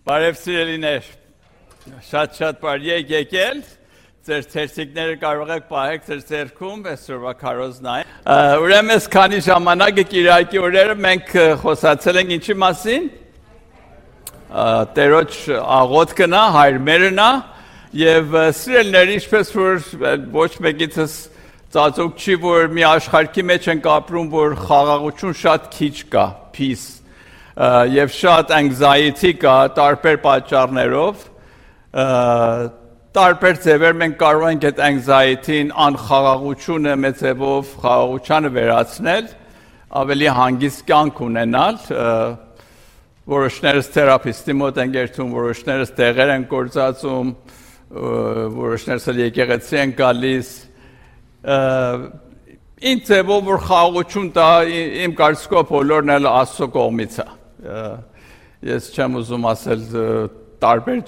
Բարև սիրելիներ, շատ բարի եք եկել, ձեր թերթիկները կարող եք պահեք ձեր ձեռքում, այսօրվա քարոզն այն։ Ուրեմն այս քանի ժամանակ Կիրակի օրերը մենք խոսացել ենք ինչի մասին։ Տերոջ աղոթքն է, հայրմերն է, եւ սիրելիներ, ինչպես որ ոչ մեկիցս ծածուկ չի, որ մի աշխարհի մեջ ենք ապրում, որ խաղաղություն շատ քիչ կա, peace, եւ շատ anxiety կա տարբեր պատճառներով, տարբեր ձևեր մենք կարող ենք այդ anxiety-ին, անխաղաղությունը մեծ ձևով խաղաղությանը վերացնել, ավելի հանգիստ կյանք ունենալ, որոշներս թերապիստի մոտ են գերտում, որոշներս տեղեր են գործածում, որոշներս եկեղեցի են գալիս, ինձ ձևով որ խաղաղություն տա, իմ կարծիքով բոլորն էլ Աստծո կողմից է։ Ես չեմ ուզում ասել տարբեր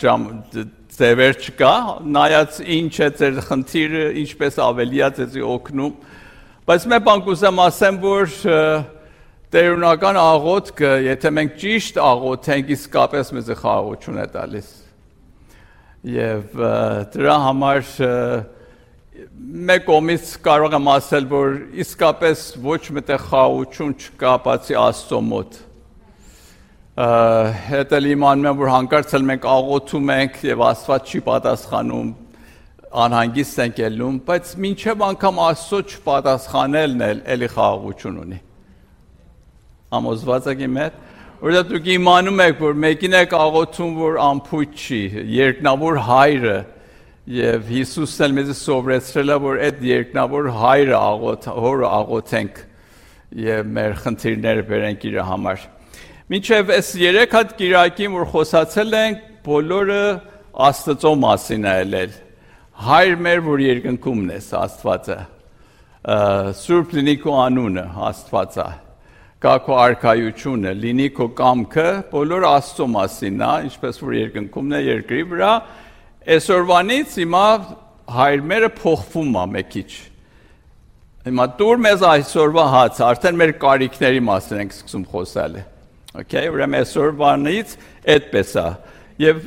ձևեր չկա, նայած ինչ է ձեր խնդիրը, ինչպես ավելի է ձեզի օգնում, բայց մեկ բան կուզեմ ասեմ, որ տերունական աղոթքը, եթե մենք ճիշտ աղոթենք, իսկապես մեզ խաղաղություն է տալիս։ Եվ դրա համար մեկ կողմից կարող եմ ասել, որ իսկապես ոչ մտեղ խաղաղություն չկա բացի Աստծո մոտ։ Հետ էլ իմանում եմ, որ հանկարծ էլ մենք աղոթում ենք եւ Աստված չի պատասխանում, անհանգիստ ենք ելնում, բայց մինչև անգամ Աստծո չպատասխանելն էլ էլի խաղաղություն ունի։ Համոզված եք իմ հետ, որովհետեւ դուք իմանում եք, որ մեկին եք աղոթում, որ անփույթ չի, երկնավոր հայրը Եվ Հիսուսն էլ մեզ սովորեցրել է, որ այդ երկնավոր հայրը հորը աղոթենք եւ մեր խնդիրները բերենք իր համար։ Մինչև այս 3 հատ Կիրակին, որ խոսացել ենք, բոլորը Աստծո մասին է ելել։ Հայր մեր, որ երկնքումն ես, Աստվածը։ Սուրբ լինի քո անունը, Աստվածը։ Կա քո արքայությունը, լինի քո կամքը, բոլորը Աստծո մասին է, ինչպես որ երկնքումն է երկրի վրա։ Այսօրվանից հիմա հայրմերը փոխվում է մեկ քիչ։ Հիմա դուր մեզ այսօրվա հացը, արդեն մեր կարիքների մասին ենք սկսում խոսել։ Okay, ուրեմն այսօրվանից այդպես է։ Եվ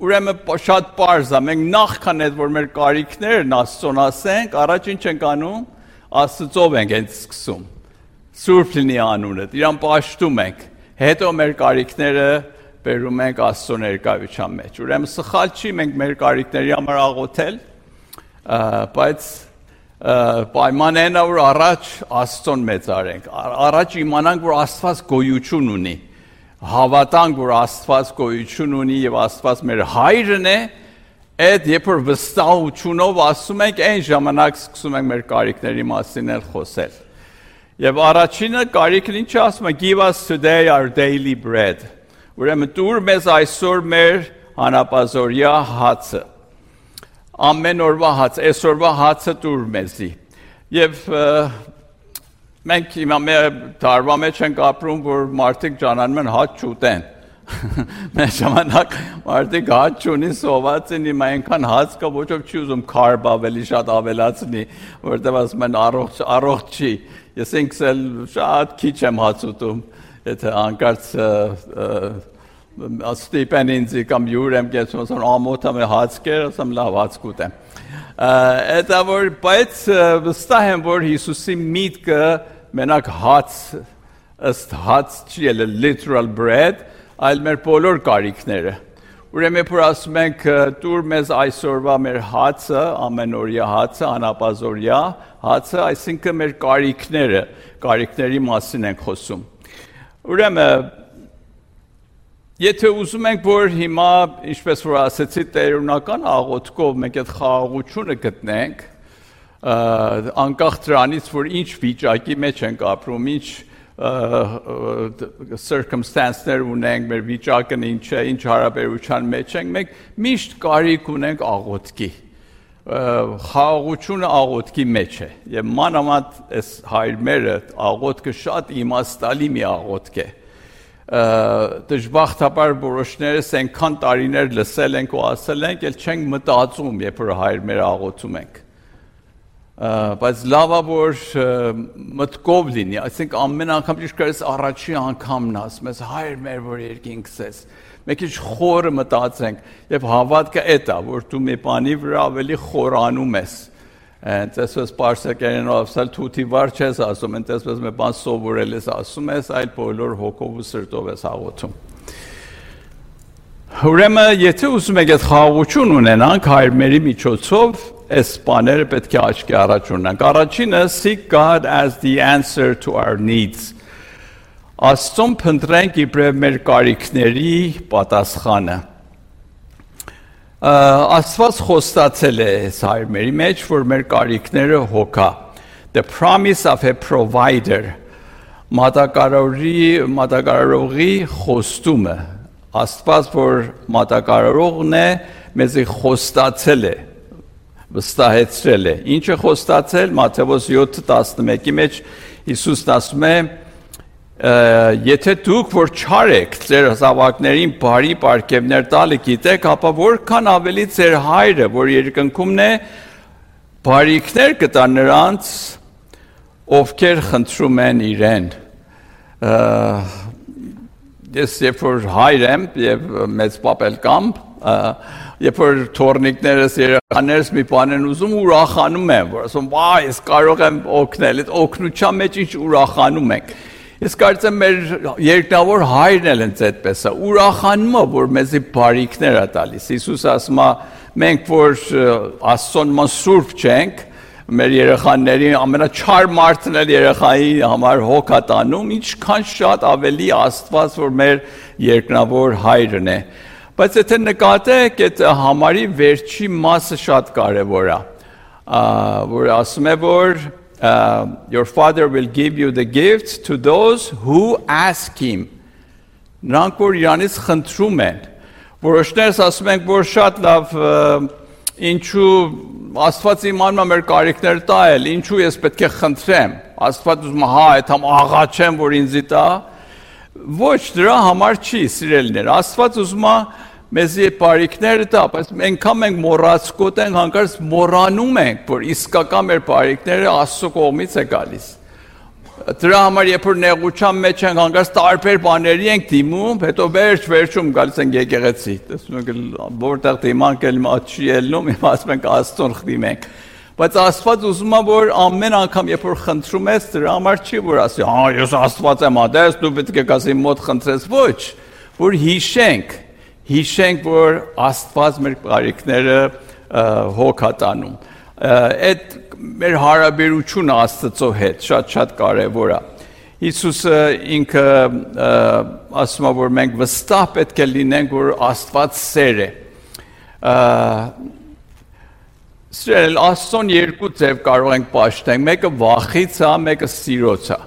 ուրեմն շատ պարզ է, մենք նախքան այդ որ մեր կարիքներն Աստծոն ասենք, առաջ ինչ ենք անում, Աստծով ենք հենց սկսում։ Սուրբ լինի անունը, իրան պաշտում ենք։ Հետո մեր կարիքները բերում ենք Աստծո ներկայության մեջ։ Ուրեմն սխալ չի մենք մեր կարիքների համար աղոթել, բայց պայմանն այն է, որ առաջ Աստծոն մեծարենք, առաջ իմանանք, որ Աստված գոյություն ունի, հավատանք, որ Աստված գոյություն ունի եւ Աստված մեր հայրն է, այդ երբ որ վստահությունով ասում ենք, այն ժամանակ սկսում ենք մեր կարիքների մասին էլ խոսել։ Եվ առաջինը կարիքն ինչ ասում է, give us today our daily bread։ Ուրեմն դուր մեզ այսօր մեր հանապազօրյա հացը, ամեն օրվա հաց, այսօրվա հացը դուր մեզի։ Եվ մենք հիմա մեր տարվա մեջ ենք ապրում, որ մարդիկ ճանանում են հաց չուտեն։ Մեր ժամանակ մարդիկ հաց չունի, սոված են, հիմա այնքան հաց կա, ոչ ոք չի ուզում քարբ ավելի շատ ավելացնի, որտեղ ասում են առողջ չի։ Ես ինքս էլ շատ քիչ եմ հաց ուտում, եթե հանկարծ ստիպեն ինձ կամ յուր եմ կեցում, ասում ամոթ եմ հաց կեր, ասում լավ հաց կուտեմ։ Դա որ բայց վստահ եմ, որ Հիսուսի միտքը մենակ հաց, ըստ հաց չի ելել literal bread, այլ մեր բոլոր կարիքները։ Ուրեմն որ ասում ենք դուր մեզ այսօրվա մեր հացը, ամենօրյա հացը, անապազօրյա հացը, այսինքն մեր կարիքների մասին ենք խոսում։ Ուրեմն եթե ուզում ենք, որ հիմա, ինչպես որ ասեցի, տերունական աղոթքով մենք այդ խաղաղությունը գտնենք, անկախ դրանից, որ ինչ վիճակի մեջ ենք ապրում, ինչ circumstances-ներ ունենք, մեր վիճակն ինչ է, ինչ հարաբերության մեջ ենք, մենք միշտ կարիք ունենք աղոթքի։ Խաղաղությունը աղոթքի մեջ է։ Եվ մանավանդ այս հայրմերը աղոթքը շատ իմաստալի մի աղոթք է։ Դժբախտաբար որոշներս այնքան տարիներ լսել ենք ու ասել ենք, էլ չենք մտածում, երբ որ հայրմերը աղոթում ենք։ բայց լավ է որ մտքով լինի, այսինքն ամեն անգամ ճիշտ կարես առաջի անգամն ասում ես հայր մեր որ երկինք ցես մեկ ինչ խորը մտածենք եւ հավատքը էդ է որ դու մի բանի վրա ավելի խորանում ես այնտեսպես պարսակերենով ասալ թութի վար չես ասում այնտեսպես մի բան սովորել ես ասում ես այլ բոլոր հոգով ու սրտով ես աղոթում Ուրեմն եթե ուզում եք այդ խաղաղություն ունենանք հայրմերի միջոցով այս բաները պետք է աչքի առաջ ունենանք առաջինը seek God as the answer to our needs Աստծուն փնտրենք իբրև մեր կարիքների պատասխանը Աստված խոստացել է հայրմերի մեջ որ մեր կարիքները հոգա The promise of a provider մատակարարողի խոստումը Աստված որ մատակարարողն է մեզի խոստացել է վստահեցրել է ինչը խոստացել Մատթեոս 7:11-ի մեջ Հիսուսն ասում է եթե դուք որ չար եք ձեր զավակներին բարի պարգևներ տալը գիտեք ապա որքան ավելի ձեր հայրը որ երկնքումն է բարիքներ կտա նրանց ովքեր խնդրում են իրեն Ես երբ որ հայր եմ եւ մեծ պապել կամ երբ որ թորնիկներս երեխաներս մի բան են ուզում ուրախանում են որ ասում վայ ես կարող եմ օգնել այդ օգնության մեջ ինչ ուրախանում ենք Ես կարծեմ մեր երկնավոր հայրն էլ ինձ այդպես է ուրախանում է որ մեզի բարիքներ է տալիս Հիսուսը ասում է մենք որ Աստծուն ման սուրբ չենք մեր երեխաների ամենաչար մարդն էլ երեխայի համար հոգ է տանում ինչքան շատ ավելի Աստված որ մեր երկնավոր հայրն է բայց եթե նկատեք այդ համարի վերջի մասը շատ կարևոր է որ ասում է որ your father will give you the gifts to those who ask him նրանք որ իրանից խնդրում են որոշներս ասում ենք որ շատ լավ ինչու Աստված իմանում է մեր կարիքները տալ, ինչու ես պետք է խնդրեմ, Աստված ուզում է հա, այդ համ աղա չեմ, որ ինձի տա, ոչ, դրա համար չի, սիրելիներ, Աստված ուզում է մեզի բարիքները տա, բայց ենքան մենք մոռացկոտ ենք, հանկարծ մոռանում ենք, որ իսկական մեր բարիքները Աստծո կողմից է գալիս։ Դրա համար երբ որ նեղության մեջ ենք հանկարծ տարբեր բաների ենք դիմում, հետո վերջում գալիս ենք եկեղեցի։ Տեսնում եք որտեղ դիմանք էլ չի ելնում, ասում ենք Աստծուն խնդրենք։ Բայց Աստված ուզում է որ ամեն անգամ երբ որ խնդրում ես, դրա համար չի որ ասի, հա ես Աստված եմ ադես, դու պետք է գաս իմ մոտ խնդրես, ոչ, որ հիշենք, որ Աստված մեր բարիքները հոգ է տանում։ Այդ մեր հարաբերությունը Աստծո հետ շատ կարևոր է։ Հիսուսը ինքը ասում է որ մենք վստահ պետք է լինենք որ Աստված սեր է։ Սիրել Աստծուն երկու ձև կարող ենք պաշտենք, մեկը վախից է, մեկը սիրոց է։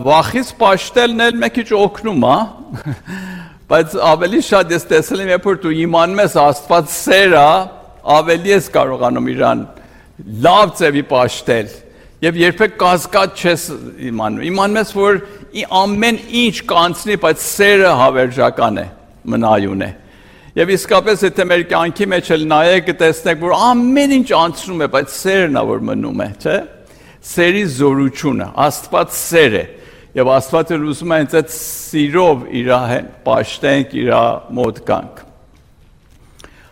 Վախից պաշտելն էլ մեկ քիչ օգնում է, բայց ավելի շատ ես տեսել եմ երբ որ դու իմանում ես Աստված սեր է, ավելի ես կարողանում իրան լավ ձևի պաշտել եւ երբեք կասկած չես իմանում ես որ ամեն ինչ կանցնի բայց սերը հավերժական է մնայուն է եւ իսկապես եթե մեր կյանքի մեջ էլ նայեք տեսնեք որ ամեն ինչ անցնում է բայց սերն է որ մնում է չէ սերի զորությունը Աստված սեր է եւ Աստվածը ուզում է ինձ այդ սիրով իր պաշտենք իր մոտ գանք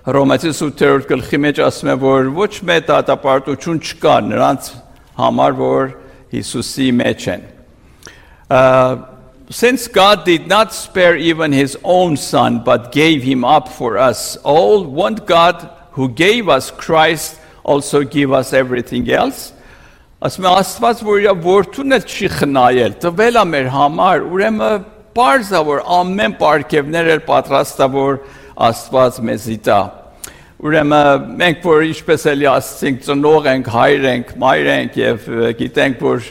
Հռոմեացիս 8-րդ գլխի մեջ ասում է որ ոչ մեծ դատապարտություն չկա նրանց համար որ Հիսուսի մեջ են Since God did not spare even his own son but gave him up for us all won't God who gave us Christ also give us everything else Ասում է Աստված որ իր որդուն էլ չի խնայել տվել է մեր համար ուրեմն պարզ է որ ամեն պարգևներ էլ պատրաստ է որ Աստված մեզի տա Ուրեմն մենք որ ինչպես էլի ասենք ծնող ենք, հայր ենք, մայր ենք եւ գիտենք որ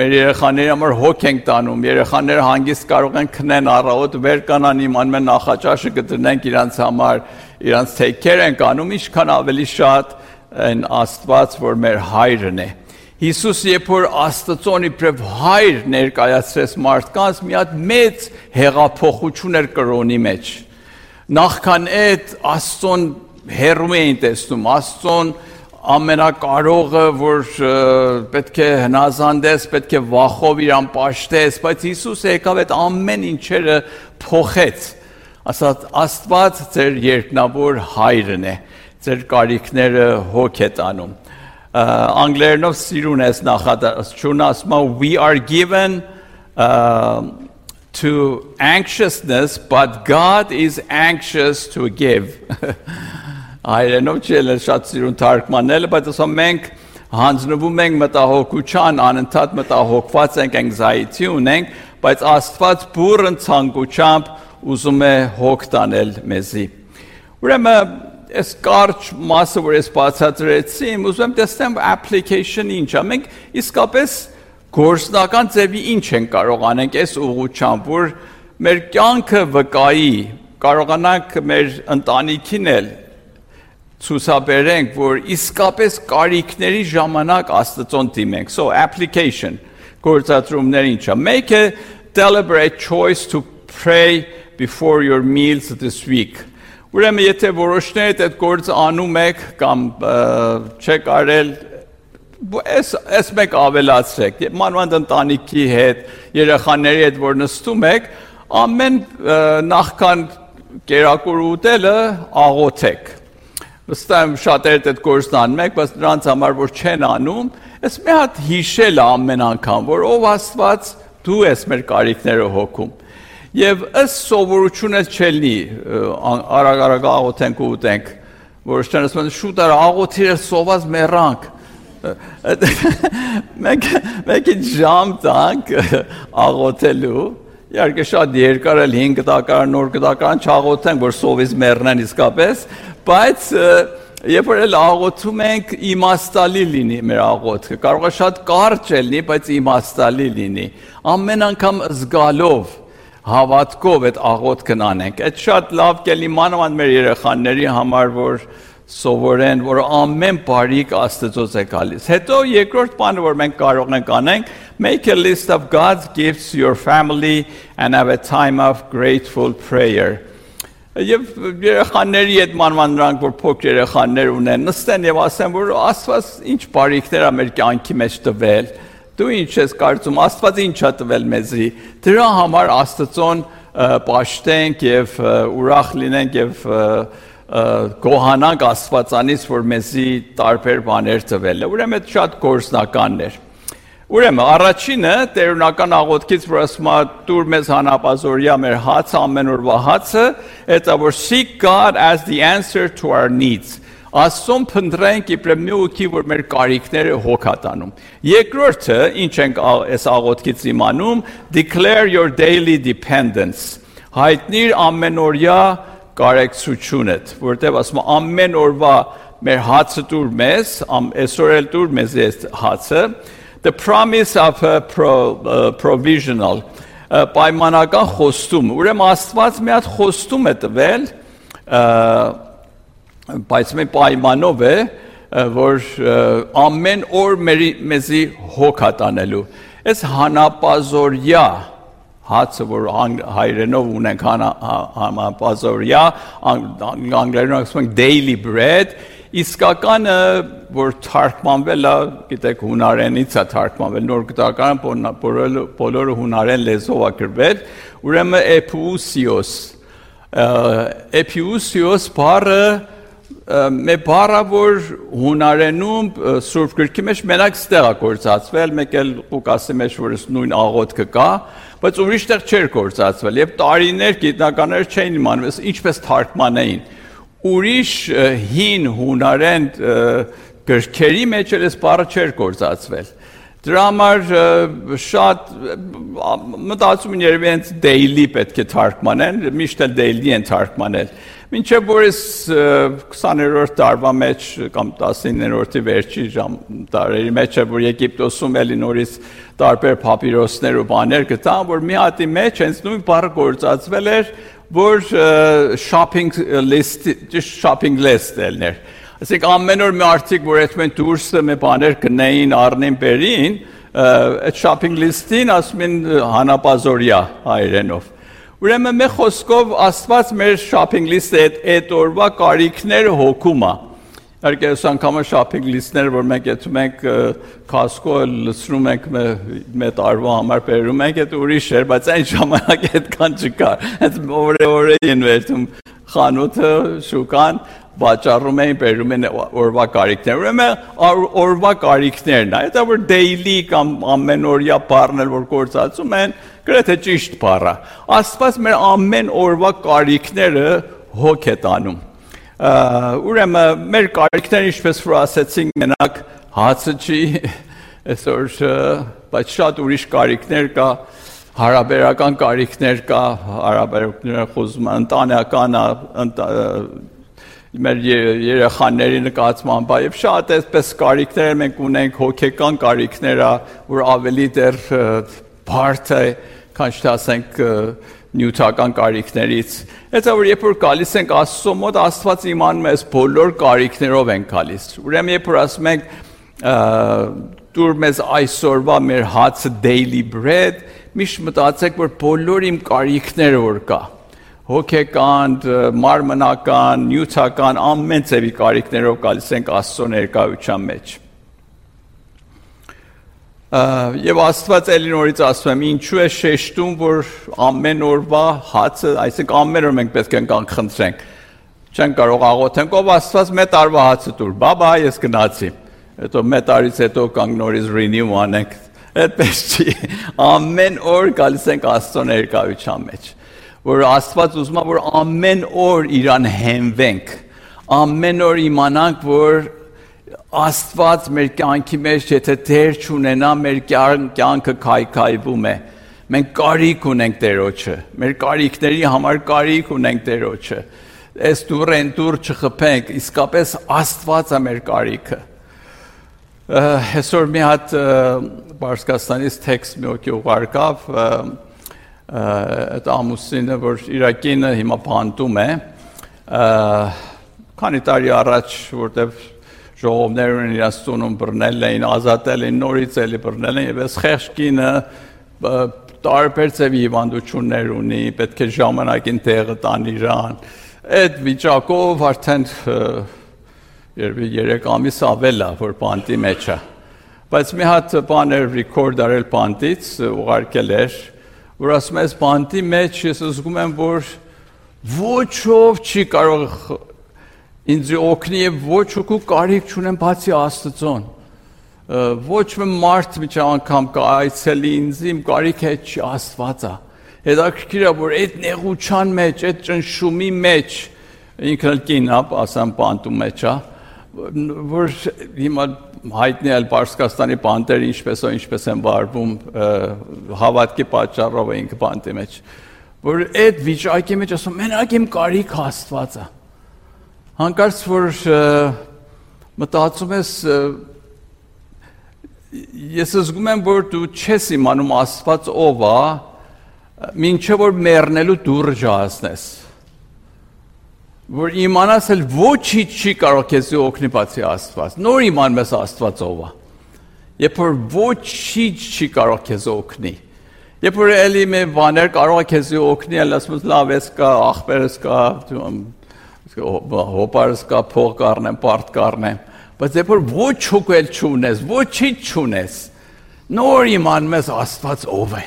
մեր երեխաների համար հոգ ենք տանում, երեխաները հանգիստ կարող են քնեն առավոտ վեր կանան իմանում են նախաճաշը կդնենք իրանց համար, իրանց take care ենք անում, ինչքան ավելի շատ այն Աստված որ մեր հայրն է։ Հիսուս երբ որ Աստծոն իբրև հայր ներկայացրեց մարդկանց, մի հատ մեծ հեղափոխություն էր կրոնի մեջ։ Նախքան այդ Աստծոն հերում էին տեսնում, Աստծոն ամենակարողը, որ պետք է հնազանդես, պետք է վախով իրան պաշտես, բայց Հիսուսը եկավ այդ ամեն ինչերը փոխեց, ասաց Աստված ձեր երկնավոր հայրն է, ձեր կարիքները հոգ է տանում, անգլերենով սիրուն ես նախադասությունը ասում է we are given to anxiousness, but God is anxious to give. Հայերենով չել է շատ սիրուն թարգմանելը, բայց ասում մենք հանձնվում ենք մտահոգության, անընդհատ մտահոգված ենք, anxiety ունենք, բայց Աստված բուրըն ցանկությամբ ուզում է հոգ տանել մեզի։ Ուրեմն այս կարճ մասը, որ ես բացատրեցի, ուզում եմ տեսնեմ application ինչ է։ Մենք իսկապես գործնական ձևի ինչ են կարող անենք այս ուղղությամբ, որ մեր կյանքը վկայի, կարողանանք մեր ընտանիքին էլ ցուցաբերենք, որ իսկապես կարիքների ժամանակ Աստծուն դիմենք։ So application, գործադրումներ ինչ է։ Make a deliberate choice to pray before your meals this week. Ուրեմն եթե որոշներդ այդ գործը անում եք կամ չեք արել, այս մեկ ավելացրեք, մանավանդ ընտանիքի հետ, երեխաների հետ, որ նստում եք, ամեն նախքան կերակուր ուտելը աղոթեք։ Վստահ եմ շատերդ այդ գործն անում եք, բայց նրանց համար որ չեն անում, այս մի հատ հիշել ամեն անգամ, որ ով Աստված դու ես մեր կարիքները հոգում։ Եվ ըստ սովորությունը չելնի, արագ աղոթենք ու ուտենք, որոշներն ասում են շուտ աղոթիր սոված մեռանք։ Մենք ժամ տանք աղոթելու, իհարկե շատ երկար էլ 5 դակարան, նոր դակարան չաղոթենք, որ սովից մեռնեն իսկապես, բայց երբ որ էլ աղոթում ենք, իմաստալի լինի մեր աղոթքը, կարող է շատ կարճ լինի, բայց իմաստալի լինի, ամեն անգամ զգալով, հավատքով այդ աղոթքն անենք, այդ շատ լավ կլինի մանավանդ մեր երեխաների համար, որ սովորեն, որ ամեն բարիք Աստծոց է գալիս։ Հետո երկրորդ բանը, որ մենք կարող ենք անենք, make a list of God's gifts to your family and have a time of grateful prayer. Եվ երեխաների հետ մանավանդ նրանք, որ փոքր երեխաներ ունեն, նստեն եւ ասեն, որ Աստված ինչ բարիքներ է մեր կյանքի մեջ տվել, դու ինչ ես կարծում, Աստված ինչ է տվել մեզի, դրա համար Աստծուն պաշտենք եւ ուրախ լինենք եւ գոհանանք Աստվածանից, որ մեզի տարբեր բաներ տվել է։ Ուրեմն այդ շատ գործնականներ։ Ուրեմն առաջինը տերունական աղոթքից, որ ասում է տուր մեզ հանապազորյա մեր հացը, ամեն օրվա հացը, դա որ seek God as the answer to our needs։ Աստծուն փնտրենք իբրև մի ուղի, որ մեր կարիքները հոգ է տանում։ Երկրորդը, ինչ ենք այս աղոթքից իմանում, declare your daily dependence։ Հայտնիր ամենօրյա կարեկցությունդ, որտեղ ասում է ամեն օրվա մեր հացը տուր մեզ, այսօր էլ տուր մեզ այս հացը, the promise of a provisional, պայմանական խոստում, ուրեմն Աստված մի հատ խոստում է տվել, բայց մի պայմանով է, որ ամեն օր մեզի հոգ է տանելու, այս հանապազորյա հացը, որ հայերենով ունենք հանապազորյա, անգլերենով ասում ենք daily bread, իսկականը, որ թարգմանվել է, գիտեք, հունարենից է թարգմանվել, նոր գտակարան բոլորը հունարեն լեզվով է գրվել, ուրեմն էփիուսիոս բառը մի բառը, որ հունարենում Սուրբ գրքի մեջ մենակ ստեղ է գործածվել, մեկ էլ Ղուկասի մեջ, որ նույն աղոթքը կա, բայց ուրիշ տեղ չէր գործածվել, եւ տարիներ գիտնականներ չէին իմանում, ինչպես թարգմանեին։ Ուրիշ հին հունարեն գրքերի մեջ էլ այս բառը չէր գործածվել։ Դրա համար շատ մտածում են երևի հենց daily պետք է թարգմանեն, միշտ էլ daily են թարգմանել։ Մինչև որ այս 20-րդ դարվա մեջ կամ 19-րդի վերջի տարերի մեջ է, որ Եգիպտոսում էլի նորից տարբեր պապիրոսներ ու բաներ գտան, որ մի հատի մեջ հենց նույն բառը գործածվել էր, որ shopping list ելներ։ Ասենք ամեն օր մի արդիկ, որ այդ մեն դուրսը մի բաներ գնային, առնին, բերին, այդ shopping list-ին ասում են հանապազորյա հայերենով։ Ուրեմն մեր խոսքով Աստված մեր shopping list-ը այդ օրվա կարիքները հոգում է։ Իհարկե այս անգամը շապինգ լիստներ, որ մենք այդում ենք Costco լցնում ենք մեր տարվա համար բերում ենք, այդ ուրիշ էր, բայց այն ժամանակ այդքան չկար։ Այդ օրը են վերցում խանութը, շուկան, վաճառում էին, բերում են օրվա կարիքներ։ Ուրեմն օրվա կարիքներն է, դա որ daily կամ ամենօրյա բառն էլ որ գործածում են, գրեթե ճիշտ բառ է։ Աստված մեր ամեն օրվա կարիքները հոգ է տանում։ Ուրեմն մեր կարիքները ինչպես որ ասեցինք մենակ հացը չի, այսօր բայց շատ ուրիշ կարիքներ կա, հարաբերական կարիքներ կա, հարաբերությունները խոսում ընտանեկան մեր երեխաների նկատմամբ եւ շատ այսպես կարիքներ մենք ունենք հոգեկան կարիքներ, որ ավելի դեռ բարդ է, քան չասենք նյութական կարիքներից։ Հետո որ երբ որ գալիս ենք Աստծո մոտ, Աստված իմանում է այս բոլոր կարիքներով են գալիս։ Ուրեմն երբ որ ասում ենք դուր մեզ այսօրվա մեր հացը daily bread, միշտ մտածեք որ բոլոր իմ կարիքները որ կա, հոգեկան, մարմնական, նյութական ամեն ձևի կարիքներով գալիս ենք Աստծո ներկայության մեջ։ Եվ Աստված էլի նորից ասում եմ, ինչու է շեշտում, որ ամեն օրվա հացը, այսինքն ամեն օր մենք պետք է կան խնդրենք, չեն կարող աղոթենք, ով Աստված մեր տարվա հացը տուր, բաբա, ես գնացի, հետո մեր տարից հետո կանք նորից renew անենք, այդպես չի, ամեն օր գալիս ենք Աստծո ներկայության մեջ, որ Աստված ուզում է, որ ամեն օր իրան հենվենք, ամեն օր իմանանք, որ Աստված մեր կյանքի մեջ եթե դեր չունենա, մեր կյանքը քայքայվում է։ Մենք կարիք ունենք Տերոջը, մեր կարիքների համար կարիք ունենք Տերոջը։ Այս դուրեն դուր չխփենք, իսկապես Աստված է մեր կարիքը։ Այսօր մի հատ Պարսկաստանից տեքստ մի հոգի ուղարկավ, այդ ամուսինը, որ իր կինը հիմա բանտում է, քանի տարի առաջ, որտեղ ժողովներ ունեն իրաց տունում բռնել էին, ազատել էին, նորից էլի բռնել են, և այս խեղճ կինը տարբեր ձևի հիվանդություններ ունի, պետք է ժամանակին տեղը տան իրան, այդ վիճակով արդեն 3 ամիս ավել է, որ բանտի մեջ է, բայց մի հատ բան էր ռիքորդ արել բանտից, ուղարկել էր, որ ասում ես բանտի մեջ ես զգում եմ, որ ոչ ով չի կարող ինձ օգնի եւ ոչ ոքի կարիք չունեմ բացի Աստծոն։ Ոչ մի մարդ մի անգամ կայցելի ինձ իմ կարիքը չի Աստված է։ Հետաքրքիր է որ այդ նեղության մեջ, այդ ճնշումի մեջ ինքն էլ կինա, ասեմ բանտում մեջ է, որ հիմա հայտնի է Պարսկաստանի բանտերը ինչպես են վարվում հավատքի պատճառով է ինքը բանտի մեջ։ Որ այդ վիճակի մեջ ասում մենակ իմ կարիքը Աստված է։ Հանկարծ որ մտածում ես, ես զգում եմ, որ դու չես իմանում Աստված ով է, մինչև որ մեռնելու դուռը ջահացնես, որ իմանաս էլ ոչինչ չի կարող քեզ օգնի բացի Աստված, նոր իմանում ես Աստված ով է, երբ որ ոչինչ չի կարող քեզ օգնի, երբ որ էլի մի բաներ կարող է քեզ օգնի, էլ ասում ես լավ ես կա, աղբերս կա, հոպարս կա, փող կառնեմ, պարտ կառնեմ, բայց երբ որ ոչ հոգել չունես, ոչինչ չունես, նոր իմանում ես Աստված ով է,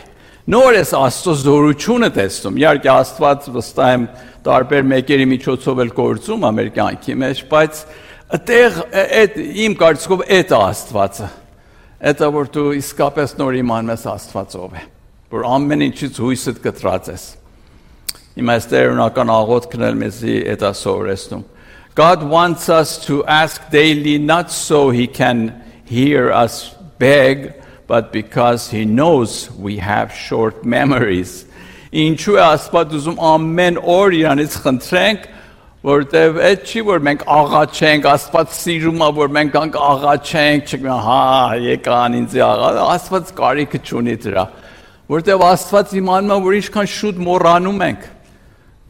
նոր ես Աստծո զորությունը տեսնում, իհարկե Աստված վստահ եմ տարբեր մեկերի միջոցով էլ գործում է մեր կյանքի մեջ, բայց այդտեղ իմ կարծիքով այդ է Աստվածը, այդ է որ դու իսկապես նոր իմանում ես Աստված ով է, որ ամեն ինչից հույսդ կտրած ես։ God wants us to ask daily not so he can hear us beg, but because he knows we have short memories. Ինչու է Աստված ուզում ամեն օր իրանից խնդրենք, որտեվ այդ չի որ մենք աղաչենք, Աստված սիրում է որ մենք աղաչենք, հա, եկան ինձ աղա, Աստված կարիքը չունի դրա, որտեվ Աստված իմանում է որ ինչքան շուտ մոռանում ենք։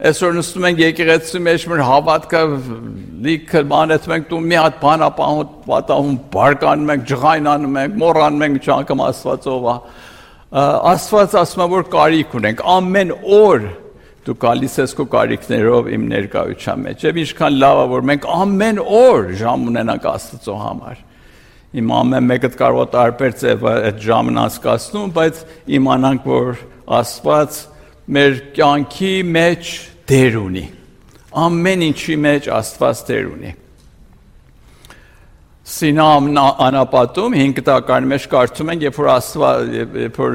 Այսօր նստում ենք եկեղեցու մեջ մեր հավատքը լիքը բանեցում ենք, դու մի հատ բան պատահում, բարկանում ենք, ջղայնանում ենք, մոռանում ենք մի անգամ Աստված ով է։ Աստված ասում է որ կարիք ունենք ամեն օր դու գալիս ես քո կարիքներով իմ ներկայության մեջ։ Եվ ինչքան լավ է, որ մենք ամեն օր ժամ ունենանք Աստծո համար։ Իմ ամեն մեկը կարող է տարբեր ձև այդ ժամն անցկացնում, բայց իմանանք, որ Աստված մեր կյանքի մեջ դեր ունի։ Ամեն ինչի մեջ Աստված դեր ունի։ Սինա անապատում 5 տակարանի մեջ կարդում ենք, երբ որ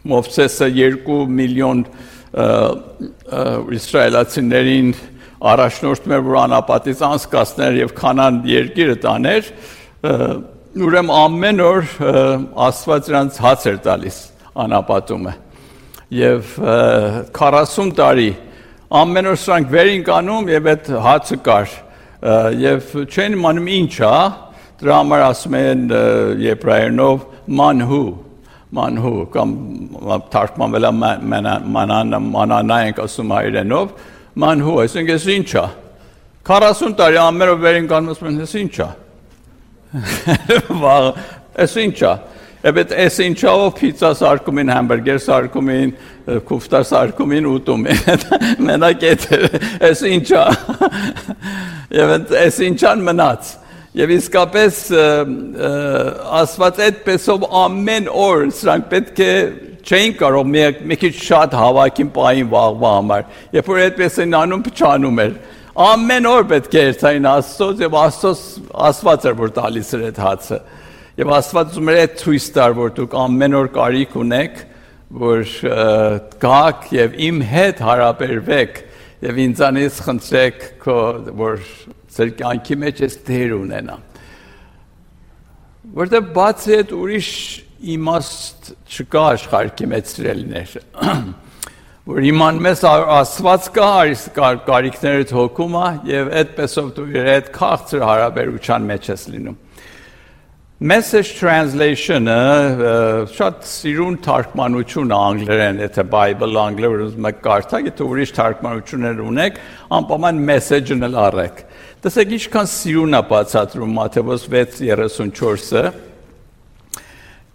Մովսեսը 2 միլիոն իսրայելացիներին առաջնորդում էր, որ անապատից անցկացներ եւ Քանան երկիրը տաներ, ուրեմն ամեն օր Աստված նրանց հաց էր տալիս անապատումը։ Եվ 40 տարի ամեն օր սրանք վերին կանում եւ այդ հացը կար։ Եվ չեն իմանում ինչ է, դրա համար ասում են եբրայերենով մանհու, կամ թարգմանվել է մանանա ենք ասում հայերենով, մանհու, այսինքն ես ինչ է, 40 տարի ամեն օր վերին կանում ասում են, ես ինչ է, ես ինչ է, Եվ այս ինչով պիցա սարքում են, համբուրգեր սարքում են, քուֆտա սարքում են, ուտում են, մենակ այս ինչա, և այս ինչան մնաց, և իսկապես ասված այդպեսով ամեն օր, սրանք պետք է չէին կարող մի քիչ շատ հավաքին պային վաղվա համար, երբ որ այդպես են անում փչանում էր, ամեն օր պետք է երթային Աստծոց, և Աստված էր, որ տալիս էր այդ հացը, Եվ Աստված ուզում էր այդ ցույց տար, որ դուք ամեն օր կարիք ունեք, որ գաք եւ իմ հետ հարաբերվեք եւ ինձանից խնդրեք, որ ձեր կյանքի մեջ այս դեր ունենա։ Որտեղ բացի այդ ուրիշ իմաստ չկա աշխարհի մեջ սիրելիներ։ Որ իմանում ես Աստված կա, կարիքներդ հոգում է եւ այդպեսով դու իր հետ քաղցր հարաբերության մեջ ես լինում։ Message translation-ը շատ սիրուն թարգմանություն անգլերեն, եթե Bible անգլերեն ուզում եք կարդալ, եթե ուրիշ թարգմանություններ ունեք, անպայման message-ն էլ առեք։ Տեսեք ինչքան սիրուն է բացատրում Մատթեոս 6:34-ը.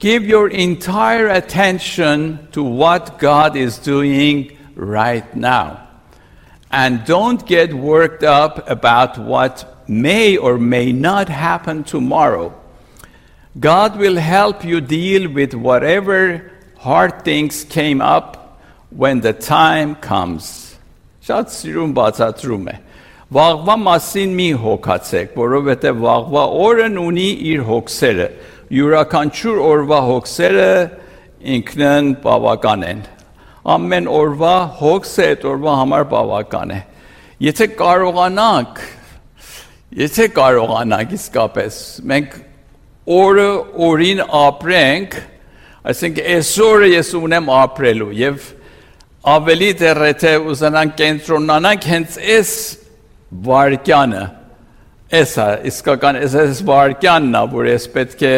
Give your entire attention to what God is doing right now. And don't get worked up about what may or may not happen tomorrow. God will help you deal with whatever hard things came up when the time comes. Շատ սիրուն բացատրում է. Վաղվա մասին մի հոգացեք, որովհետև վաղվա օրն ունի իր հոգսերը. յուրաքանչյուր օրվա հոգսերը ինքնն բավական են. Ամեն օրվա հոգսը այդ օրվա համար բավական է. Եթե կարողանանք իսկապես, մենք օրը օրին ապրենք, այսինքն այսօրը ես ունեմ ապրելու եւ ավելի դեռ եթե ուզենանք կենտրոնանանք հենց այս վարկյանը, իսկական այս վարկյանն է, որ ես պետք է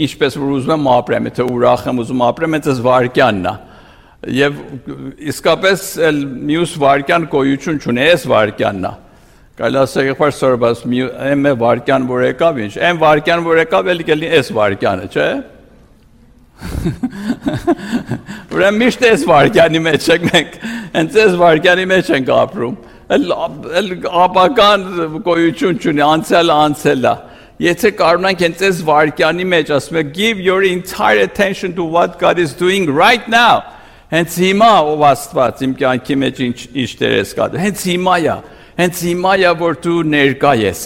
ինչպես որ ուզում եմ ապրեմ, եթե ուրախ եմ ուզում ապրեմ, այս վարկյանն է։ Եվ իսկապես մյուս վարկյան գոյություն չունի, այս վարկյանն է։ Կարելի ասել եղբայր սորբաս մի վարկյան որ եկավ, ինչ, այն վարկյան որ եկավ, էլի կլինի այս վարկյանը, չէ՞։ Ուրեմն միշտ այս վարկյանի մեջ ենք մենք, հենց այս վարկյանի մեջ ենք ապրում։ Ապական գոյություն չունի, անցյալը։ Եթե կարողանանք հենց այս վարկյանի մեջ ասում եք give your entire attention to what God is doing right now։ Հենց հիմա ով Աստված իմ կյանքի մեջ ինչ դեր ես կատարում։ Հենց հիմա է, որ դու ներկա ես։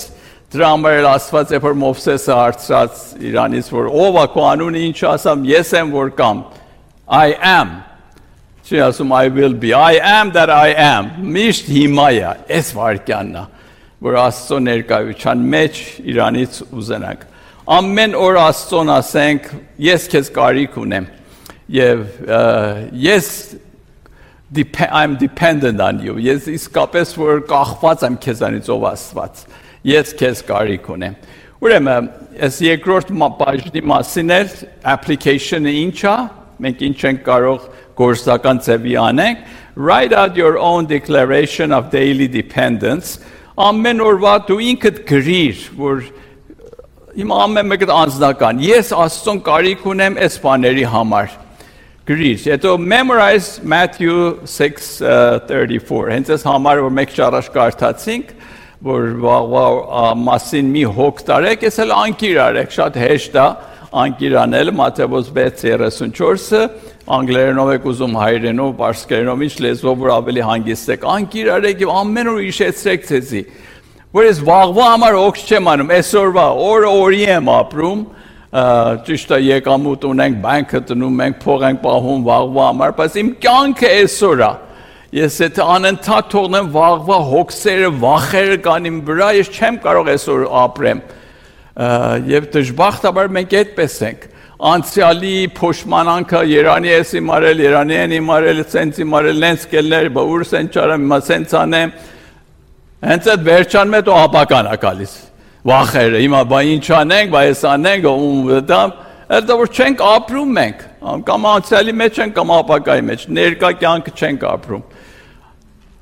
Դրա համար էլ Աստված երբ որ Մովսեսը հարցրած Իրանից, որ ով է քո անունը, ինչ ասամ, ես եմ որ կամ։ I am։ Չի ասում I will be, I am that I am, միշտ հիմա է, այս վարկյանն է, որ Աստծո ներկայության մեջ Իրանից ուզենանք։ Ամեն օր Աստծոն ասենք, ես քեզ կարիք ունեմ, եւ ես I'm dependent on you, ես իսկապես որ կախված եմ քեզանից ով Աստված, ես քեզ կարիք ունեմ։ Ուրեմն, այս երկրորդ բաժնի մասին էլ application-ը ինչ է, մենք ինչ ենք կարող գործական ձևի անենք, write out your own declaration of daily dependence, ամեն օրվա դու ինքդ գրիր, որ հիմա ամեն մեկը անձնական, ես Աստծուն կարիք ունեմ այս բաների համար, գրիր, հետո memorize Matthew 6:34, հենց այս համար, որ մեկ շարաշ կարդացինք, որ մասին մի հոգ տարեք, ես էլ անկիր արեք, շատ հեշտ է անկիր անել, Մատթեոս 6:34, անգլերենով եք ուզում, հայերենով, պարսկերենով, ինչ լեզվով որ ավելի հանգիստ եք, անկիր արեք եւ ամեն օր հիշեցրեք ձեզի, որ ես վաղվա համար օգս չեմ անում, այսօրվա օրը օրի եմ ապրում, ճիշտ է եկամուտ ունենք, բանկը տնում ենք, փող ենք պահում վաղվա համար, բայց իմ կյանքը այսօր է։ Ես եթե անընդհատ թողնեմ վաղվա հոգսերը, վախերը կան իմ վրա, ես չեմ կարող այսօր ապրեմ։ Եվ դժբախտաբար մենք այդպես ենք։ Անցյալի փոշմանանքը Երանի ես իմարել, Երանի են իմարել, սենց իմարել, նենց կելներ, բա ուր սենց չարեմ, հիմա սենց անեմ։ Հենց այդ վերջանում է դու ապական է գալիս։ Վախերը, հիմա բա ինչ անենք, բա ես անենք, դա որ չենք ապրում մենք, կամ անցյալի մեջ ենք, կամ ապակայի մեջ, ներկա կյանքը չենք ապրում։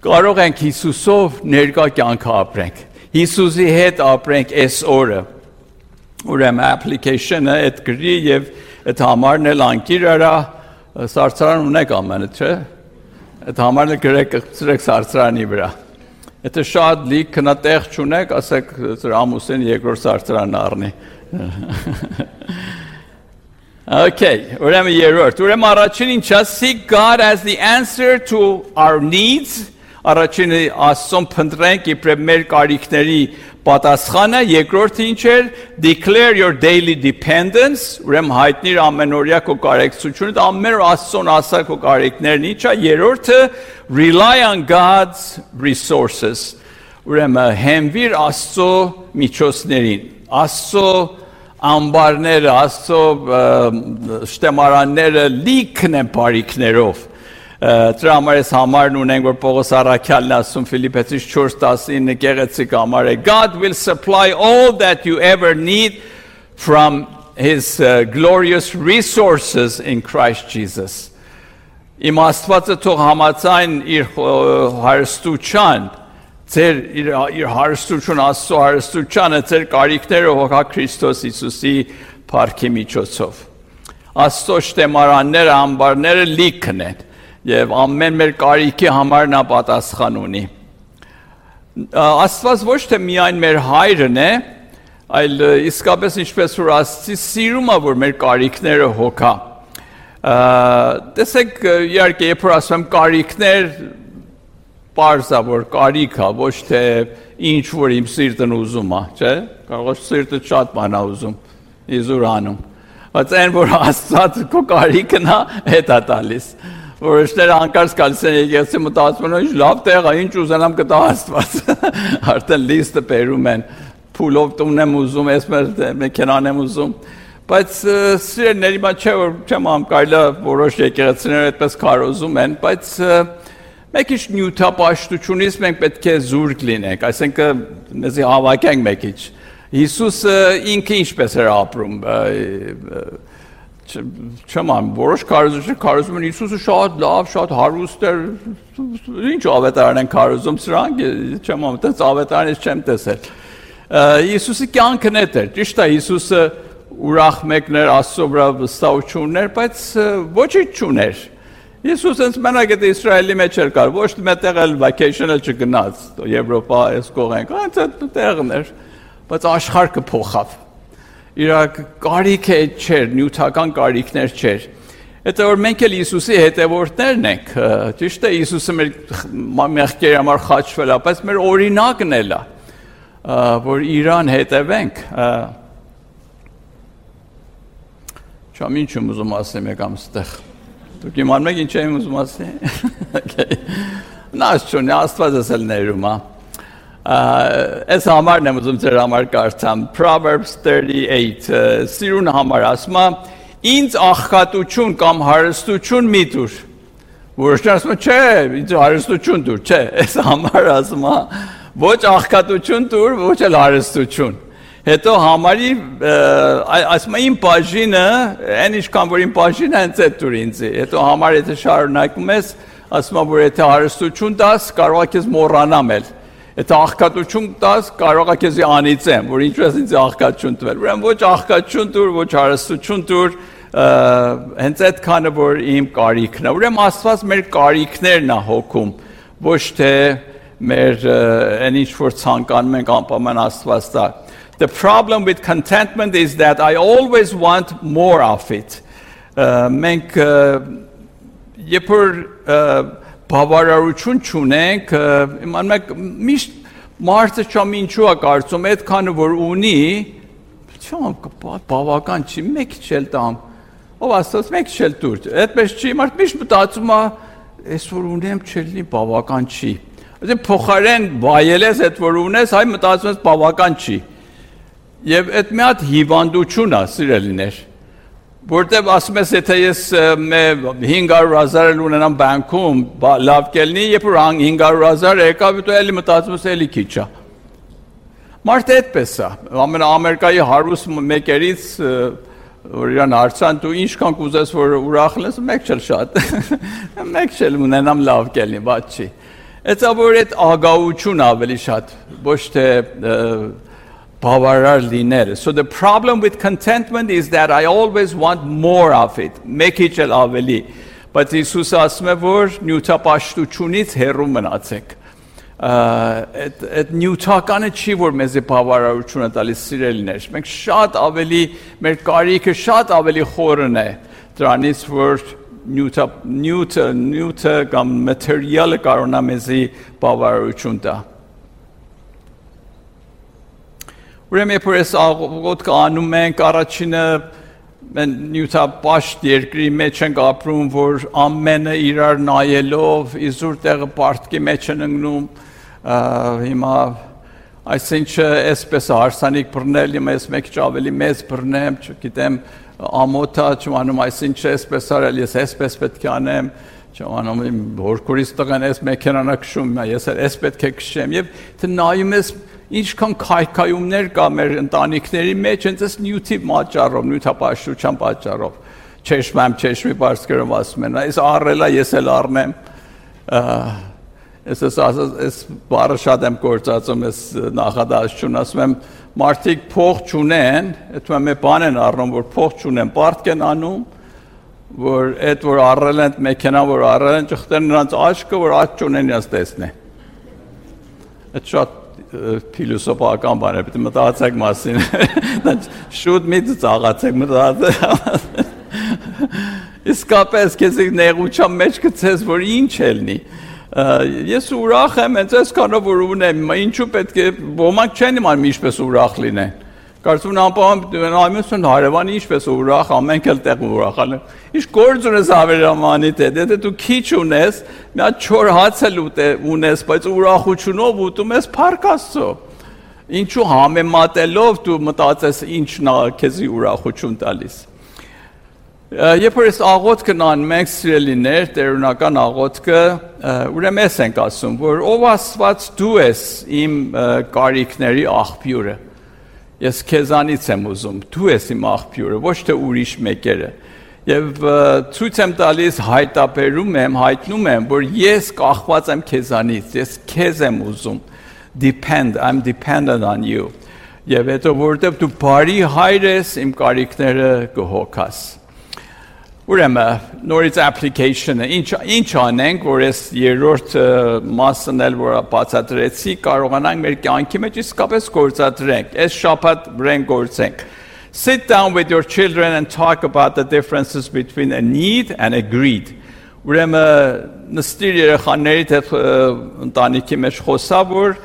Կարող ենք Հիսուսով ներկա կյանքը ապրենք, Հիսուսի հետ ապրենք այս օրը, ուրեմն application-ը այդ գրի և այդ համարն էլ անկիր արա, սարսարան ունեք ամենը, չէ, այդ համարն էլ գրեք սարսարանի վրա։ Եթե շատ լիք քնատեղ չունեք, ասեք ամուսին երկրորդ սարսարանն առնի։ Okay, ուրեմն երրորդ, ուրեմն առաջին ինչա, seek God as the answer to our needs, առաջինը Աստծուն փնտրենք իբրև մեր կարիքների պատասխանը, երկրորդը ինչ էր, declare your daily dependence, ուրեմն հայտնիր ամենօրյա քո կարեկցությունը, ամեն օր Աստծուն ասա քո կարիքներն ինչա, երրորդը rely on God's resources, ուրեմն հենվիր Աստծո միջոցներին, Աստծո ամբարները, Աստծո շտեմարանները լիքն են բարիքներով, դրա համար ես համարն ունենք, որ Պողոս առաքյալն ասում Ֆիլիպեցիս 4:19 գեղեցիկ համար է, God will supply all that you ever need from his glorious resources in Christ Jesus. Իմ Աստվածը թող համաձայն իր հարստության, ձեր իր հարստություն, Աստծո հարստությանը, ձեր կարիքները հոգա Քրիստոս Հիսուսի փառքի միջոցով։ Աստծո շտեմարանները, ամբարները լիքն են եւ ամեն մեր կարիքի համար նա պատասխան ունի։ Աստված ոչ թե միայն մեր հայրն է, այլ իսկապես ինչպես որ Աստծի սիրում է, որ մեր կարիքները հոգա։ Տեսեք, իհարկե, երբ որ ասում եմ կարիքներ, պարզ է, որ կարիք է, ոչ թե ինչ որ իմ սիրտն ուզում է, չէ՞։ Կարող է սիրտը շատ բան է ուզում, իզուր անում։ Բայց այն որ Աստված քո կարիքն է, հետ է տալիս։ Որոշները անկարծ գալիս են եկեղեցի մտածում են, ինչ լավ տեղ է, ինչ ուզենամ կտա Աստված։ Արդեն լիստը բերում են, փուլով տուն եմ ուզում, ես մեքենան եմ ուզում։ Բայց սիրելիների մա չէ որ չեմ ամ կարելի որոշ եկեղեցիներ այդպես քարոզում են, բայց մեկ ինչ նյութապաշտությունից մենք պետք է զուրկ լինենք, այսինքն մեզի հավաքենք մեկ ինչ։ Հիսուսը ինքը ինչպես էր ապրում, չեմ ամ, որոշ քարոզում են Հիսուսը շատ լավ, շատ հարուստ էր, ինչ ավետարան են քարոզում սրանք, չեմ ամ, այդպես ավետարանից չեմ տեսել։ Հիսուսի կյանքն էդ էր, ճիշտ է, Հիսուսը ուրախ մեկներ, Աստծո վրա վստահություն ուներ, բայց ոչինչ չուներ։ Հիսուս հենց մենակ այդ Իսրայելի մեջ էր կար, ոչ մետեղ էլ vacation-ը չգնաց, Եվրոպա այս կողենք, հենց այդ տեղն էր, բայց աշխարհը փոխավ։ Իր կարիքը չէր, նյութական կարիքներ չէր։ Հետո որ մենք էլ Հիսուսի հետևորդներն ենք, ճիշտ է, Հիսուսը մեր մեղքերի համար խաչվել է, բայց մեր օրինակն էլ է, որ իրան հետևենք։ Չամ ինչ եմ ուզում ասեմ եկամ ստեղ։ Դուք իմանում եք ինչ եմ ուզում ասել։ Նաշ չունի, Աստված էլ ներում է։ Այս համարն եմ ուզում ձեր համար կարդամ, Proverbs 38, սիրուն համար ասում է, ինձ աղքատություն կամ հարստություն մի տուր։ Որոշն ասում է, չէ, ինձ հարստություն տուր, չէ, այս համար ասում է, ոչ աղքատություն տուր, ոչ էլ հարստություն։ Հետո համարի, ասում է, իմ բաժինը, այն ինչքան որ իմ բաժինը հենց այդ տուր ինձի։ Հետո համար եթե շարունակում ես, ասում է, որ եթե հարստություն տաս, կարող է քեզ մոռանամ էլ։ Եթե աղքատություն տաս, կարող է քեզի անիծեմ, որ ինչու ես ինձ աղքատություն տվել։ Ուրեմն ոչ աղքատություն տուր, ոչ հարստություն տուր, հենց այդքանը որ իմ կարիքն է։ Ուրեմն Աստված մեր կարիքներն է հոգում, ոչ թե մեր այն ինչ որ ցանկանում ենք անպայման Աստված տա։ The problem with contentment is that I always want more of it. Մենք երբ որ բավարարություն չունենք, իմանում եք միշտ մարդը չամ ինչու է կարծում այդքանը որ ունի, չամ բավական չի, մեկ չել տամ, ով ասած մեկ չել տուր, այդպես չի, մարդ միշտ մտածում է, այսօր ունեմ չելնի բավական չի, այսինքն փոխարեն վայելես այդ որ ունես, այ մտածում ես բավական չի, եւ այդ մի հատ հիվանդություն է, սիրելիներ, որտեղ ասում ես, եթե ես 500,000 ունենամ բանկում, լավ կելնի, երբ որ 500,000 եկավ, դու էլի մտածում ես էլի քիչ է։ Մարդը այդպես է, Ամերիկայի հարուստ մեկերից որ իրան հարցան, դու ինչքան կուզես որ ուրախ լես, մեկ չել շատ, մեկ չել ունենամ լավ կելնի, բաց չի։ Էցա որ այդ ագահություն ավելի շատ, ոչ թե բավարար լինելը։ So the problem with contentment is that I always want more of it, մեկ իջել ավելի, բայց Հիսուսը ասում է, որ նյութապաշտությունից հեռու մնացեք։ Այդ նյութականը չի, որ մեզ բավարարություն է տալիս սիրելիներ, մենք շատ ավելի, մեր կարիքը շատ ավելի խորն է, դրանից որ նյութը կամ material-ը կարող է մեզ բավարարություն տա։ Ուրեմն երբ որ այս աղոթքը անում ենք, առաջինը նյութապաշտ երկրի մեջ ենք ապրում, որ ամենը իրար նայելով իզուր տեղը պարտքի մեջ են ընկնում, հիմա այսինչը այսպես հարսանիք բռնել, հիմա ես մեկ ավելի մեծ բռնեմ, չգիտեմ, ամոթա չմանում, այսինչը այսպես արել, ես այսպես պետք է անեմ, չմանում իմ հորքորից տղան այս մեքենան է քշում, ես այս պետք է քշեմ, եւ թե նայում ես ինչքան քայքայումներ կա մեր ընտանիքների մեջ, հենց այս նյութի պատճառով, նյութապաշտության պատճառով, չեշմի բարձրով ասում են, այս առելա ես էլ առնեմ, այս բառը շատ եմ գործածում, այս նախադասություն, ասում եմ, մարդիկ փող չունեն, այդ մի բան են առնում, որ փող չունեն, պարտք են անում, որ այդ որ առել են, մեքենա որ առել են, ճխտեն նրանց աչքը, որ աչք չունեն իրաց տեսնեն։ Այդ շատ փիլիսոփական բան է, պետք է մտածեք մասին, շուտ մի ծաղացեք, մտածեք, իսկապես քեզ նեղության մեջ գցես, որ ինչ ելնի, ես ուրախ եմ, հենց այսքանով որ ունեմ, ինչու պետք է, ոմանք չեն իմանում ինչպես ուրախ լինեն, կարծում անպայման նայում են հարևանը ինչպես ուրախ, ամենք էլ տեղ ուրախ են, ինչ գործ ունես ավերամանիդ հետ, եթե դու քիչ ունես, մի հատ չոր հաց էլ ունես, բայց ուրախությունով ուտում ես փառք Աստծո, ինչու համեմատելով դու մտածես ինչն է քեզի ուրախություն տալիս։ Երբ որ այս աղոթքն անում ենք սիրելիներ, տերունական աղոթքը, ուրեմն ես ենք ասում, որ ով Աստված դու ես իմ կարիքների աղբյուրը։ Ես քեզանից եմ ուզում, դու ես իմ աղբյուրը, ոչ թե ուրիշ մեկերը։ Եվ ցույց եմ տալիս, հայտարարում եմ, հայտնում եմ, որ ես կախված եմ քեզանից, ես քեզ եմ ուզում։ I'm dependent on you։ Եվ հետո որովհետև դու բարի հայր ես, իմ կարիքները կհոգաս։ Ուրեմն նորից application-ը ինչ անենք, որ այս երրորդ մասն էլ որ բացատրեցի, կարողանանք մեր կյանքի մեջ իսկապես գործադրենք, այս շաբաթ վրան գործենք։ Sit down with your children and talk about the differences between a need and a greed. Ուրեմն նստիր երեխաների հետ ընտանիքի մեջ խոսա, որ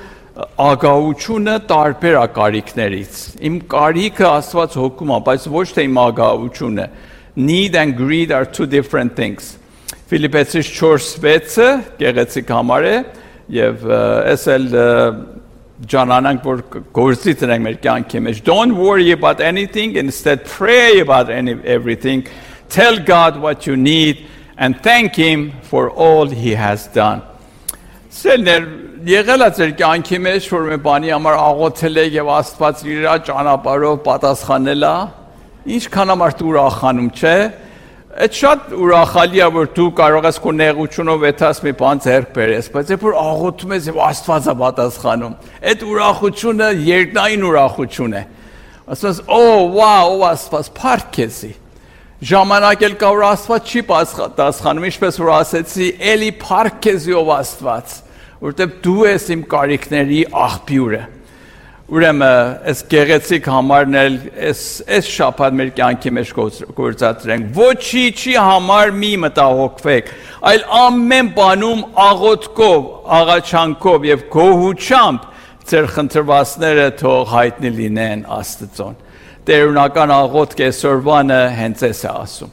ագահությունը տարբեր է կարիքներից։ Իմ կարիքը Աստված հոգում է, բայց ոչ թե իմ ագահությունը։ Need and greed are two different things. Ֆիլիպեցիս 4:6-ը գեղեցիկ համար է եւ այս էլ Jananang որ գործի տնենք մեր կյանքի մեջ. Don't worry about anything, instead pray about everything. Tell God what you need and thank him for all he has done. Սերներ եղել է ձեր կյանքի մեջ որ մի բանի համար աղոթել եք եւ Աստված իր ճանապարհով պատասխանել է, ինչքան ամարտ ուրախանում, չէ՞։ Այդ շատ ուրախալի է որ դու կարող ես քո նեղությունով այդաս մի բան ձեռք բերես, բայց երբ որ աղոթում ես եւ Աստված է պատասխանում, այդ ուրախությունը երկնային ուրախություն է։ Ասես, «Օ, վաու, Աստված, փառք քեզի»։ Ժամանակ էլ կա, որ Աստված չի պատասխանում, ինչպես որ ասեցի, էլի փառք քեզ ով Աստված, որտեղ դու ես իմ կարիքների աղբյուրը։ Ուրեմն, այս գեղեցիկ համարն էլ այս շաբաթ մեր կյանքի մեջ գործադրենք։ Ոչինչի համար մի մտահոգվեք, այլ ամեն բանում աղոթքով, աղաչանքով եւ գոհուչությամբ ձեր խնդրվածները թող հայտնի լինեն Աստծուն։ Տերունական աղոթք այսօրվանը հենց էս է ասում։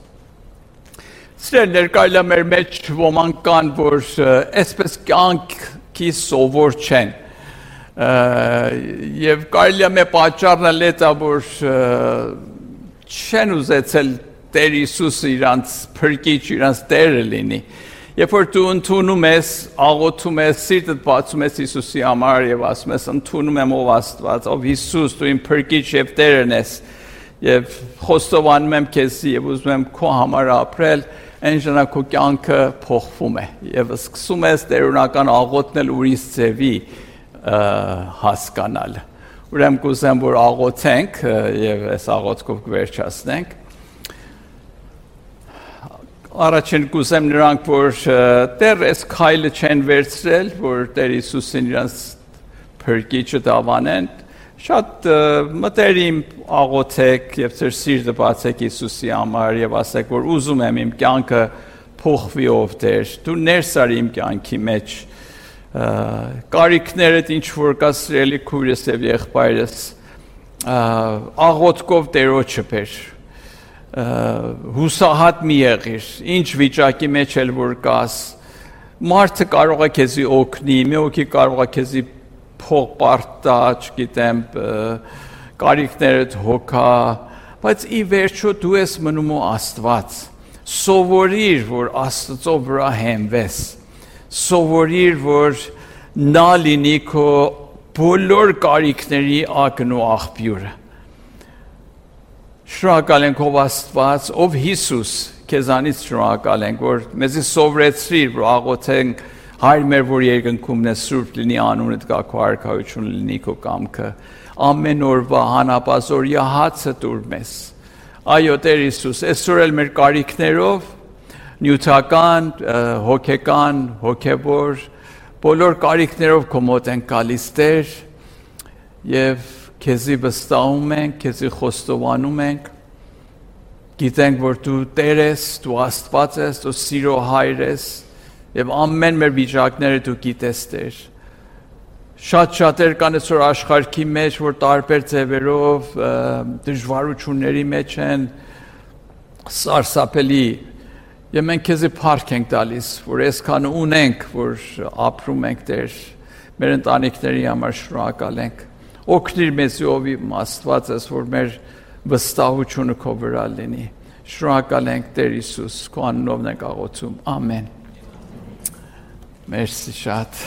Սիրելիներ, կարելի է մեր մեջ ոմանք կան, որ այսպես կյանքի սովոր չեն։ Եվ կարելի է մեր պատճառն էլ է, որ չեն ուզեցել Տեր Հիսուսը իրանց փրկիչ, իրանց Տերը լինի։ Երբ որ դու ընդունում ես, աղոթում ես, սիրտդ բացում ես Հիսուսի համար եւ ասում ես ընդունում եմ ով Աստված, ով Հիսուս, դու իմ փրկիչ եւ Տերն ես, եւ խոստովանում եմ քեզ եւ ուզում եմ քո համար ապրել, այն ժամանակ քո կյանքը փոխվում է եւ սկսում ես տերունական աղոթնել ուրիշ ձևի հասկանալ։ Ուրեմն կուզեմ որ աղոթենք եւ այս աղոթքով կվերջացնենք։ Առաջին կուզեմ նրանք, որ Տեր այս քայլը չեն վերցրել, որ Տեր Հիսուսին իրանց փրկիչը դավանեն, շատ մտերիմ աղոթեք եւ ձեր սիրտը բացեք Հիսուսի համար եւ ասեք, որ ուզում եմ իմ կյանքը փոխվի ով Տեր, դու ներս արի իմ կյանքի մեջ, կարիքներդ ինչ որ կա սիրելի քույրս եւ եղբայրս, աղոթքով Տերոջը բեր, հուսահատ մի եղիր, ինչ վիճակի մեջ էլ որ կաս, մարդը կարող է քեզի օգնի, մի օքի կարող է քեզի փող պարտա, չգիտեմ, կարիքներդ հոգա, բայց ի վերջո դու ես մնում ու Աստված, սովորիր, որ Աստծո վրա հենվես, սովորիր, որ նա լինի քո բոլոր կարիքների ակն ու աղբյուրը։ Շնորհակալ ենք ով Աստված, ով Հիսուս, քեզանից շնորհակալ ենք, որ մեզի սովորեցրիր, որ աղոթենք Հայր մեր, որ երկնքումն է սուրբ լինի անունդ գա քո արքայությունը լինի քո կամքը, ամեն օրվա հանապազորյա հացը տուր մեզ։ Այո Տեր Հիսուս, այսօր էլ մեր կարիքներով, նյութական, հոգեկան, հոգևոր, բոլոր կարիքներով քո մոտ ենք գալիս Տեր, եւ քեզի վստահում ենք, քեզի խոստովանում ենք, գիտենք, որ դու Տեր ես, դու Աստված ես, դու սիրո Հայր ես, եւ ամեն մեր վիճակները դու գիտես Տեր։ Շատ-շատեր կան այսօր աշխարհի մեջ, որ տարբեր ձևերով դժվարությունների մեջ են, սարսափելի, եւ մենք քեզի փառք ենք տալիս, որ այսքան ունենք, որ ապրում ենք Տեր, մեր ընտանիքների համար շնորհակալ ենք։ Օգնիր մեզ ով Աստված ես, որ մեր վստահությունը քո վրա լինի։ Շնորհակալ ենք Տեր Հիսուս, քո անունով ենք աղոթում։ Ամեն։ Մերսի շատ։